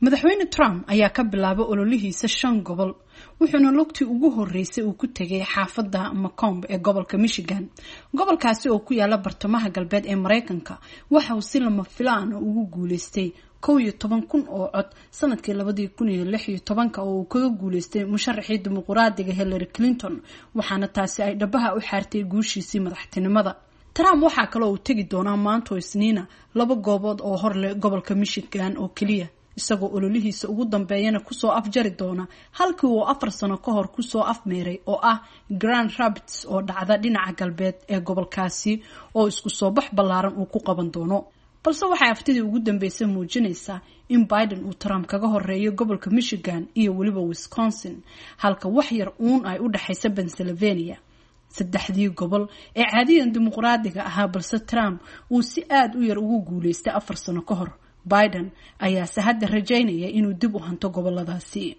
Madaxweyne Trump ayaa ka bilaabay ololihiisa shan gobol, wuxuuna lugtii ugu horeysay uu ku tegay xaafadda Macomb ee gobolka Michigan. Gobolkaasi oo ku yaala bartamaha galbeed ee Mareykanka waxa uu si lama filaan ugu guuleystay 11,000 oo cod sanadkii 2016 oo uu kaga guuleystay musharaxii dimuquraadiga Hillary Clinton, waxaana taasi ay dhabaha u xaartay guushiisii madaxtinimada. Trump waxaa kaloo uu tegi doonaa maanto Isniina laba goobood oo hor leh gobolka Michigan oo keliya, isagoo ololihiisa ugu dambeeyana kusoo afjari doona halkii uu 4 sano ka hor kusoo afmeeray oo ah Grand Rapids oo dhacda dhinaca galbeed ee gobolkaasi, oo isku soo bax ballaaran uu ku qaban doono. Balse waxay aftidii ugu dambeysay muujinaysaa in Biden uu Trump kaga horeeyo gobolka Michigan iyo weliba Wisconsin, halka wax yar uun ay u dhexaysa Pennsylvania, saddexdii gobol ee caadiyan dimuqraadiga ahaa, balse Trump uu si aada u yar ugu guuleystay 4 sano ka hor. Biden ayaase hadda rajaynaya inuu dib u hanto goboladaasi.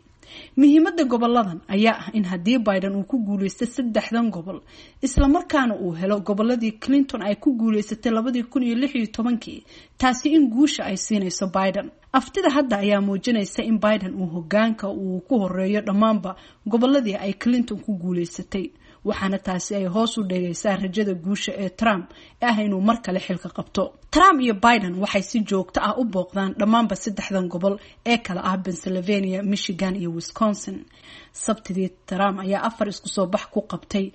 Muhiimadda goboladan ayaa ah in haddii Biden uu ku guuleysto saddexdan gobol, islamarkaana uu helo goboladii Clinton ay ku guuleysatay 2016-kii, taasi in guusha ay siinayso Biden. Aftida hadda ayaa muujinaysa in Biden uu hogaanka uu ku horeeyo dhammaanba goboladii ay Clinton ku guuleysatay, waxaana taasi ay hoos u dhigaysaa rajada guusha ee Trump ee ah inuu mar kale xilka qabto. Trump iyo Biden waxay si joogto ah u booqdaan dhammaanba saddexdan gobol ee kala ah Pennsylvania, Michigan iyo Wisconsin. Sabtidii Trump ayaa afar isku soo bax ku qabtay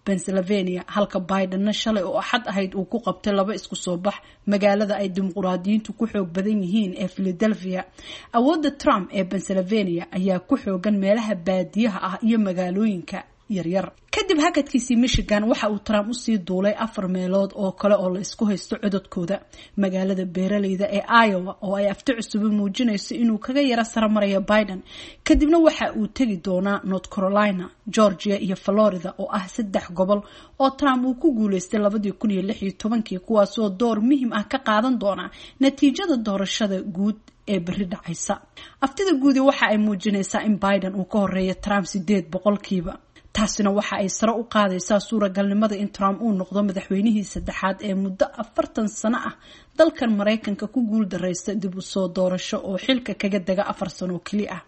Pennsylvania, halka Bidenna shalay oo Axad ahayd uu ku qabtay laba isku soo bax magaalada ay dimuqraadiyiintu ku xoog badan yihiin ee Philadelphia. Awoodda Trump ee Pennsylvania ayaa ku xoogan meelaha baadiyaha ah iyo magaalooyinka yaryar. Kadib hakadkiisii Michigan, waxa uu Trump usii duulay afar meelood oo kale oo la isku haysto codadkooda: magaalada beeraleyda ee Iowa oo ay afti cusubi muujinayso inuu kaga yaro saramarayo Biden. Kadibna waxa uu tegi doonaa North Carolina, Georgia iyo Florida oo ah saddex gobol oo Trump uu ku guuleystay 2016-kii, kuwaasoo door muhiim ah ka qaadan doona natiijada doorashada guud ee berri dhacaysa. Aftida guudi waxa ay muujinaysaa in Biden uu ka horeeyo Trump 8%. Taasina waxa ay sare u qaadaysaa suuragalnimada in Trump uu noqdo madaxweynihii saddexaad ee muddo 40 sano ah dalkan Maraykanka ku guul daraysta dib u soo doorasho oo xilka kaga dega 4 sano oo keli ah.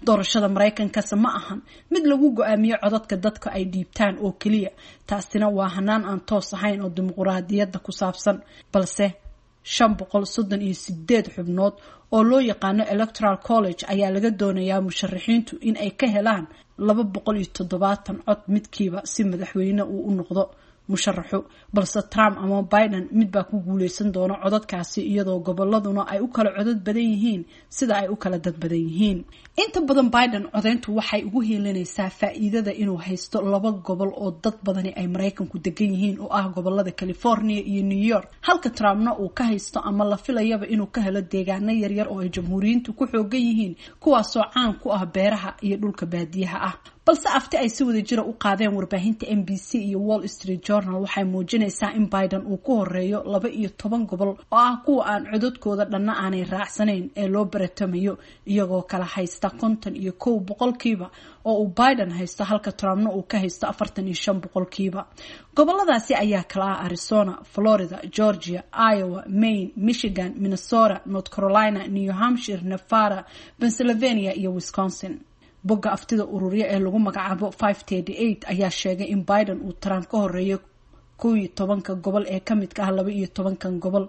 Doorashada Maraykankase ma ahan mid lagu go-aamiyo codadka dadka ay dhiibtaan oo keliya. Taasina waa hanaan aan toos ahayn oo dimuquraadiyadda ku saabsan, balse 538 xubnood oo loo yaqaano Electoral College ayaa laga doonayaa musharaxiintu in ay ka helaan 270 cod midkiiba si madaxweyne uu u noqdo musharaxu. Balse Trump ama Biden mid baa ku guuleysan doona codadkaasi, iyadoo goboladuna ay u kala codad badan yihiin sida ay u kala dad badan yihiin. Inta badan Biden codeyntu waxay ugu hiilinaysaa faa-iidada inuu haysto laba gobol oo dad badani ay Maraykanku degan yihiin oo ah gobolada California iyo New York, halka Trumpna uu ka haysto ama la filayaba inuu ka helo deegaano yaryar oo ay jamhuuriyiintu ku xoogan yihiin, kuwaasoo caan ku ah beeraha iyo dhulka baadiyaha ah. Balse afti ay si wada jira u qaadeen warbaahinta NBC iyo Wall Street Journal waxay muujinaysaa in Biden uu ku horeeyo 12 gobol oo ah kuwa aan codadkooda dhanna aanay raacsanayn ee loo baratamayo, iyagoo kala haysta 51% oo uu Biden haysto, halka Trumpna uu ka haysto 45%. Goboladaasi ayaa kala ah Arizona, Florida, Georgia, Iowa, Maine, Michigan, Minnesota, North Carolina, New Hampshire, Nevada, Pennsylvania iyo Wisconsin. Bogga aftida ururya ee lagu magacaabo 538 ayaa sheegay in Biden uu Trump ka horeeyo 11-ka gobol ee kamidka ah 12-kan gobol,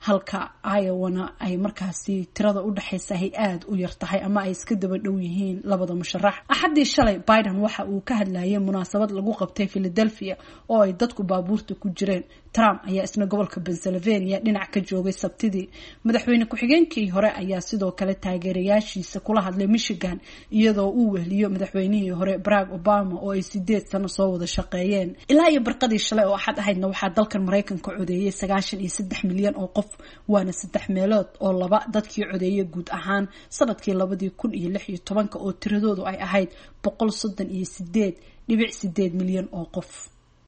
halka Iowana ay markaasi tirada u dhexaysa ay aada u yar tahay ama ay iska daba dhow yihiin labada musharax. Axaddii shalay Biden waxa uu ka hadlayay munaasabad lagu qabtay Philadelphia oo ay dadku baabuurta ku jireen. Trump ayaa isna gobolka Pennsylvania dhinac ka joogay Sabtidii. Madaxweyne ku-xigeenkii hore ayaa sidoo kale taageerayaashiisa kula hadlay Michigan, iyadoo uu wehliyo madaxweynihii hore Barack Obama oo ay 8 sano soo wada shaqeeyeen. Ilaa iyo barqadii shalay oo Axad ahaydna waxaa dalkan Maraykanka codeeyay 93 milyan oo qof, waana saddex meelood oo laba dadkii codeeyay guud ahaan sanadkii 2016-ka oo tiradoodu ay ahayd 138.8 milyan oo qof.